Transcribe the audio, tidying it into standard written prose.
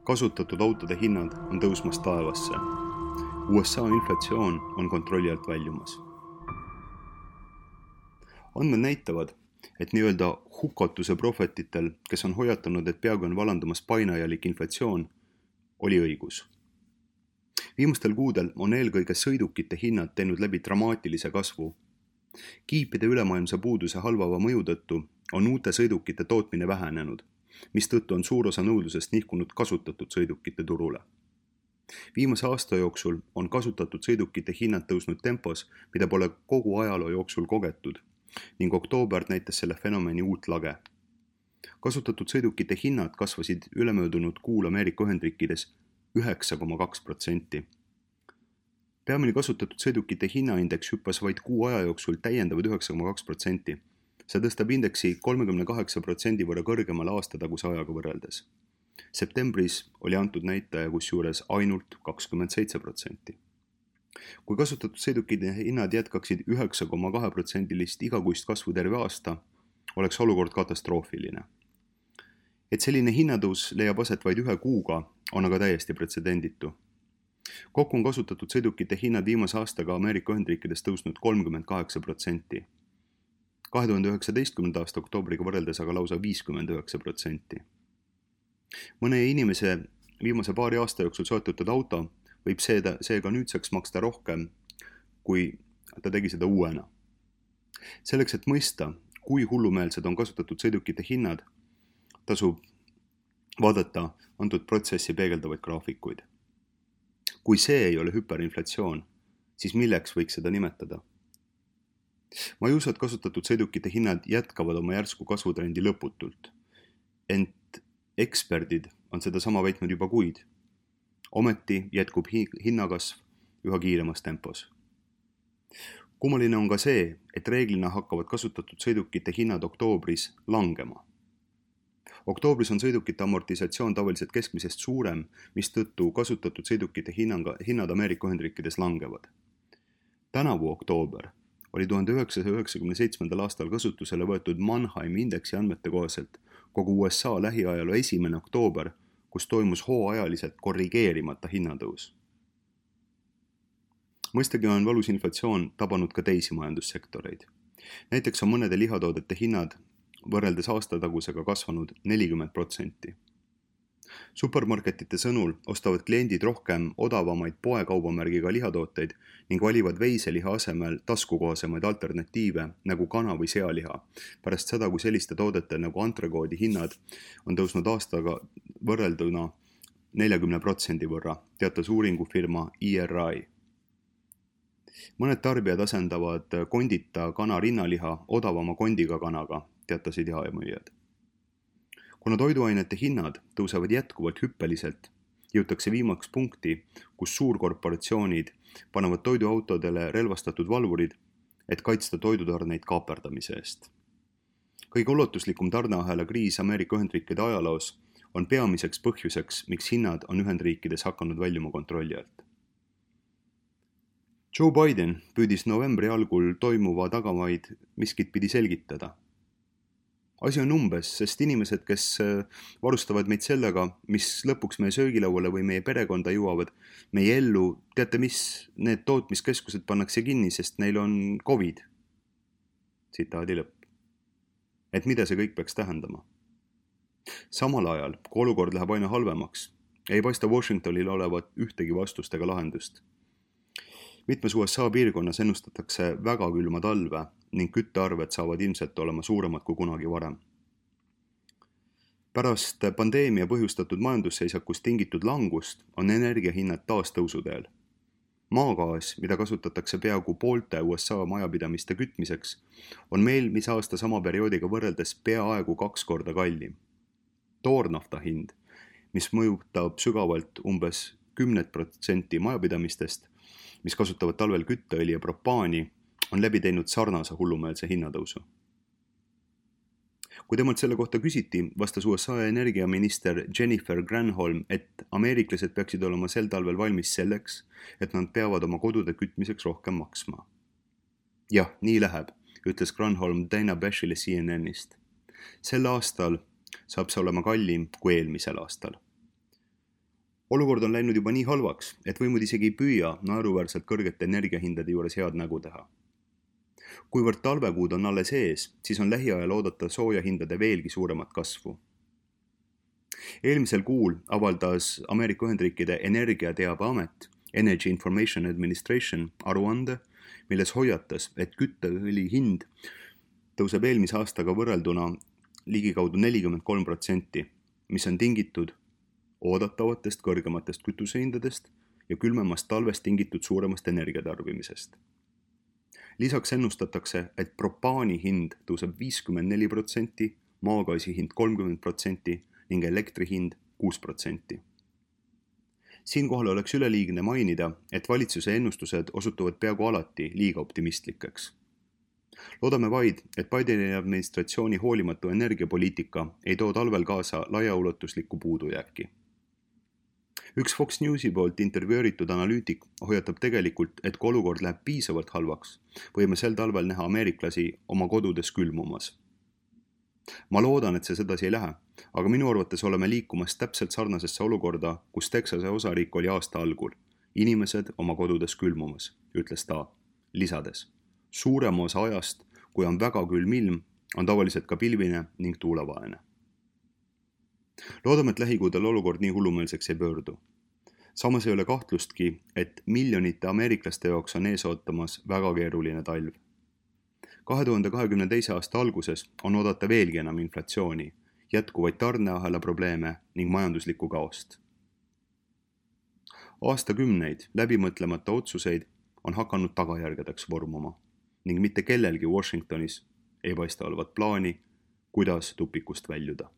Kasutatud autode hinnad on tõusmas taevasse. USA inflatsioon on kontrolli alt väljumas. Andmed näitavad, et nii-öelda hukatuse prohvetitel, kes on hoiatanud, et peaaegu on valandumas painajalik inflatsioon, oli õigus. Viimastel kuudel on eelkõige sõidukite hinnad teinud läbi dramaatilise kasvu. Kiipide ülemaailmse puuduse halvava mõju tõttu on uute sõidukite tootmine vähenenud, mistõttu on suur osa nõudlusest nihkunud kasutatud sõidukite turule. Viimase aasta jooksul on kasutatud sõidukite hinnad tõusnud tempos, mida pole kogu ajaloo jooksul kogetud, ning oktoober näitas selle fenomeni uut lage. Kasutatud sõidukite hinnad kasvasid ülemöödunud kuul Ameerika Ühendriikides 9,2%. Peamine kasutatud sõidukite hinnaindeks hüppas vaid kuu aja jooksul täiendavad 9,2%. See tõstab indeksi 38% võrra kõrgemale aastataguse ajaga võrreldes. Septembris oli antud näitaja kusjuures ainult 27%. Kui kasutatud sõidukite hinnad jätkaksid 9,2% igakuist kasvu terve aasta, oleks olukord katastroofiline. Et selline hinnatõus leiab aset vaid 1 kuuga, on aga täiesti pretsedenditu. Kokku on kasutatud sõidukite hinnad viimase aastaga Ameerika Ühendriikides tõusnud 38%. 2019. aasta oktoobriga võrreldes aga lausa 59%. Mõne inimese viimase paari aasta jooksul soetatud auto võib seega nüüdseks maksta rohkem, kui ta tegi seda uuena. Selleks, et mõista, kui hullumeelsed on kasutatud sõidukite hinnad, tasub vaadata antud protsessi peegeldavaid graafikuid. Kui see ei ole hüperinflatsioon, siis milleks võiks seda nimetada? Ma ei usu, et kasutatud sõidukite hinnad jätkavad oma järsku kasvutrendi lõputult. Ent eksperdid on seda sama väitnud juba kuid. Ometi jätkub hinnakasv üha kiiremas tempos. Kummaline on ka see, et reeglina hakkavad kasutatud sõidukite hinnad oktoobris langema. Oktoobris on sõidukite amortisatsioon tavaliselt keskmisest suurem, mistõttu kasutatud sõidukite hinnad Ameerika Ühendriikides langevad. Tänavu oktoober oli 1997. aastal kasutusele võetud Mannheimi indeksi andmete kohaselt kogu USA lähiajaloo 1. oktoober, kus toimus hooajaliselt korrigeerimata hinnatõus. Mõistagi on valus inflatsioon tabanud ka teisi majandussektoreid. Näiteks on mõnede lihatoodete hinnad võrreldes aastatagusega kasvanud 40%. Supermarketite sõnul ostavad kliendid rohkem odavamaid poekaubamärgiga lihatooteid ning valivad veiseliha asemel taskukohasemaid alternatiive nagu kana- või sealiha, pärast seda, kui selliste toodete nagu antrekoodi hinnad on tõusnud aastaga võrrelduna 40% võrra, teatas uuringufirma ERI. Mõned tarbijad asendavad kondita kana rinnaliha odavama kondiga kanaga, teatasid jaemüüjad. Kuna toiduainete hinnad tõusevad jätkuvalt hüppeliselt, jõutakse viimaks punkti, kus suurkorporatsioonid panevad toiduautodele relvastatud valvurid, et kaitsta toidutarneid kaaperdamise eest. Kõige ulatuslikum tarneahela kriis Ameerika Ühendriikide ajaloos on peamiseks põhjuseks, miks hinnad on Ühendriikides hakanud väljuma kontrolli alt. Joe Biden püüdis novembri algul toimuva tagamaid miskit pidi selgitada. Asi on umbes, sest inimesed, kes varustavad meid sellega, mis lõpuks meie söögilauale või meie perekonda jõuavad, meie ellu, teate mis, need tootmiskeskused pannakse kinni, sest neil on COVID. Tsitaadi lõpp. Et mida see kõik peaks tähendama? Samal ajal, kui olukord läheb aina halvemaks, ei paista Washingtonil olevat ühtegi vastust ega lahendust. Mitmes USA piirkonnas ennustatakse väga külma talve ning küttearved saavad ilmselt olema suuremad kui kunagi varem. Pärast pandeemia põhjustatud majandusseisakust tingitud langust on energiahinnad taas tõusuteel. Maagaas, mida kasutatakse peaaegu poolte USA majapidamiste kütmiseks, on meil mis aasta sama perioodiga võrreldes peaaegu 2 korda kallim. Toornafta hind, mis mõjutab sügavalt umbes 10% majapidamistest, mis kasutavad talvel kütteõli ja propaani, on läbi teinud sarnase hullumeelse hinnatõusu. Kui temalt selle kohta küsiti, vastas USA energiaminister Jennifer Granholm, et ameeriklased peaksid olema sel talvel valmis selleks, et nad peavad oma kodude kütmiseks rohkem maksma. Jah, nii läheb, ütles Granholm Dana Bashile CNN-ist. Sel aastal saab see olema kallim kui eelmisel aastal. olukord on läinud juba nii halvaks, et võimud isegi ei püüa naeruväärselt kõrgete energiahindade juures head nägu teha. Kuivõrd talvekuud on alles ees, siis on lähiajal oodata soojahindade veelgi suuremat kasvu. Eelmisel kuul avaldas Ameerika Ühendriikide Energiateabeamet Energy Information Administration aruande, milles hoiatas, et kütteõli hind tõuseb eelmise aastaga võrrelduna ligikaudu 43%, mis on tingitud oodatavatest kõrgematest kütusehindadest ja külmemast talvest tingitud suuremast energiatarbimisest. Lisaks ennustatakse, et propaani hind tõuseb 54%, maagaasi hind 30% ning elektri hind 6%. Siinkohal oleks üleliigne mainida, et valitsuse ennustused osutuvad peaaegu alati liiga optimistlikeks. Loodame vaid, et Bideni administratsiooni hoolimatu energiapoliitika ei too talvel kaasa laiaulatuslikku puudujääki. Üks Fox Newsi poolt intervjueeritud analüütik hoiatab tegelikult, et kui olukord läheb piisavalt halvaks, võime sel talvel näha ameeriklasi oma kodudes külmumas. Ma loodan, et see sedasi ei lähe, aga minu arvates oleme liikumas täpselt sarnasesse olukorda, kus Texase osariik oli aasta algul. Inimesed oma kodudes külmumas, ütles ta, lisades. Suurema osa ajast, kui on väga külm ilm, on tavaliselt ka pilvine ning tuulevaene. Loodame, et lähikuudel olukord nii hullumeelseks ei pöördu. Samas ei ole kahtlustki, et miljonite ameeriklaste jaoks on ees ootamas väga keeruline talv. 2022. aasta alguses on oodata veelgi enam inflatsiooni, jätkuvaid tarneahela probleeme ning majanduslikku kaost. Aastakümneid läbimõtlemata otsuseid on hakanud tagajärgedeks vormuma ning mitte kellelgi Washingtonis ei paista olevat plaani, kuidas tupikust väljuda.